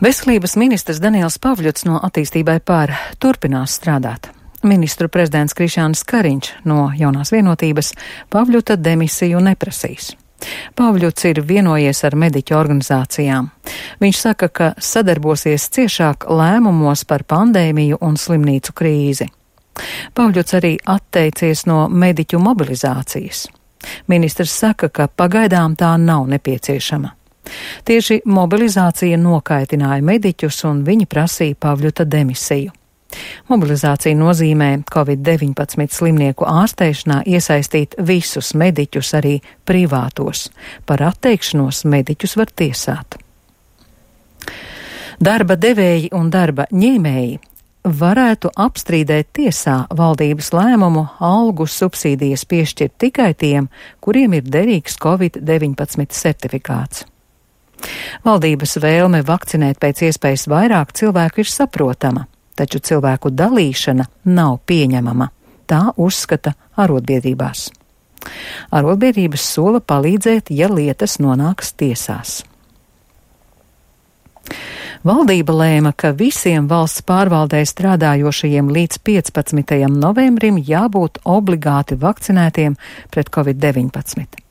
Veselības ministrs Daniels Pavļuts no Attīstībai pār turpinās strādāt. Ministru prezidents Krišjānis Kariņš no Jaunās vienotības Pavļuta demisiju neprasīs. Pavļuts ir vienojies ar mediķu organizācijām. Viņš saka, ka sadarbosies ciešāk lēmumos par pandēmiju un slimnīcu krīzi. Pavļuts arī atteicies no mediķu mobilizācijas. Ministrs saka, ka pagaidām tā nav nepieciešama. Tieši mobilizācija nokaitināja mediķus un viņi prasīja Pavļuta demisiju. Mobilizācija nozīmē Covid-19 slimnieku ārstēšanā iesaistīt visus mediķus, arī privātos. Par atteikšanos mediķus var tiesāt. Darba devēji un darba ņēmēji varētu apstrīdēt tiesā valdības lēmumu algu subsīdijas piešķirt tikai tiem, kuriem ir derīgs Covid-19 certifikāts. Valdības vēlme vakcinēt pēc iespējas vairāk cilvēku ir saprotama, taču cilvēku dalīšana nav pieņemama. Tā uzskata arotbiedrībās. Arotbiedrības sola palīdzēt, ja lietas nonāks tiesās. Valdība lēma, ka visiem valsts pārvaldē strādājošajiem līdz 15. novembrim jābūt obligāti vakcinētiem pret Covid-19.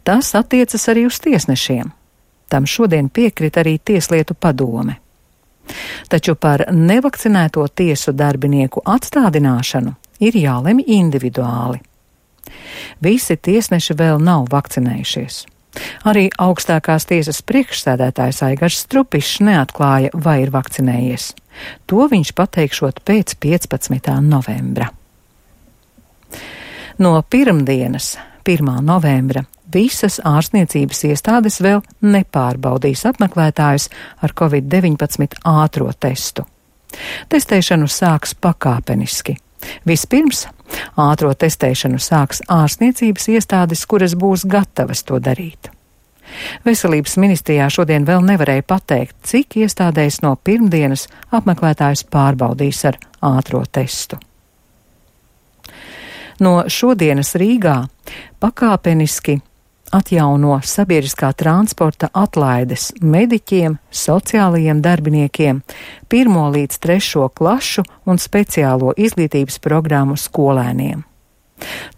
Tas attiecas arī uz tiesnešiem. Tam šodien piekrita arī Tieslietu padome. Taču par nevakcinēto tiesu darbinieku atstādināšanu ir jālemj individuāli. Visi tiesneši vēl nav vakcinējušies. Arī augstākās tiesas priekšsēdētājs Aigars Strupišs neatklāja, vai ir vakcinējies. To viņš pateikšot pēc 15. novembra. No pirmdienas, 1. novembra, visas ārstniecības iestādes vēl nepārbaudīs apmeklētājus ar Covid-19 ātro testu. Testēšanu sāks pakāpeniski. Vispirms ātro testēšanu sāks ārstniecības iestādes, kuras būs gatavas to darīt. Veselības ministrijā šodien vēl nevarēja pateikt, cik iestādēs no pirmdienas apmeklētājus pārbaudīs ar ātro testu. No šodienas Rīgā pakāpeniski atjauno sabiedriskā transporta atlaides mediķiem, sociālajiem darbiniekiem, 1. līdz 3. klašu un speciālo izglītības programmu skolēniem.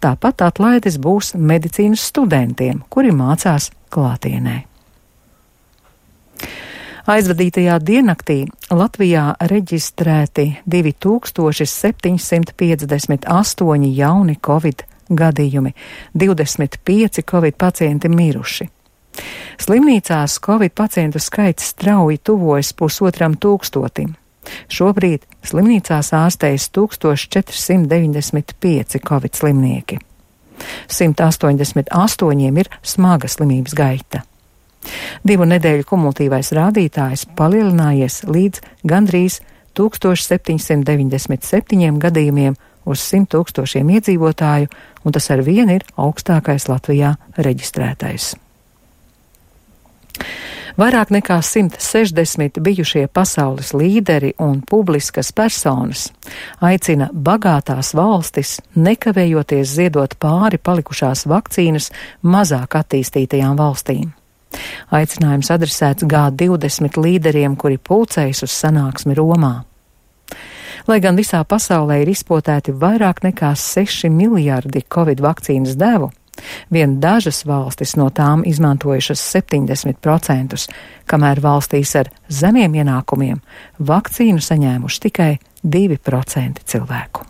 Tāpat atlaides būs medicīnas studentiem, kuri mācās klātienē. Aizvadītajā diennaktī Latvijā reģistrēti 2758 jauni Covid gadījumi, 25 Covid pacienti miruši. Slimnīcās Covid pacientu skaits strauji tuvojas 1500. Šobrīd slimnīcās ārstējas 1495 Covid slimnieki. 188 ir smaga slimības gaita. 2 nedēļu kumulatīvais rādītājs palielinājies līdz gandrīz 1797 gadījumiem uz 100 000 iedzīvotāju, un tas ar vienu ir augstākais Latvijā reģistrētais. Vairāk nekā 160 bijušie pasaules līderi un publiskas personas aicina bagātās valstis nekavējoties ziedot pāri palikušās vakcīnas mazāk attīstītajām valstīm. Aicinājums adresēts G20 līderiem, kuri pulcējas uz sanāksmi Romā. Lai gan visā pasaulē ir izpotēti vairāk nekā 6 miljardi Covid vakcīnas devu, vien dažas valstis no tām izmantojušas 70%, kamēr valstīs ar zemiem ienākumiem vakcīnu saņēmuši tikai 2% cilvēku.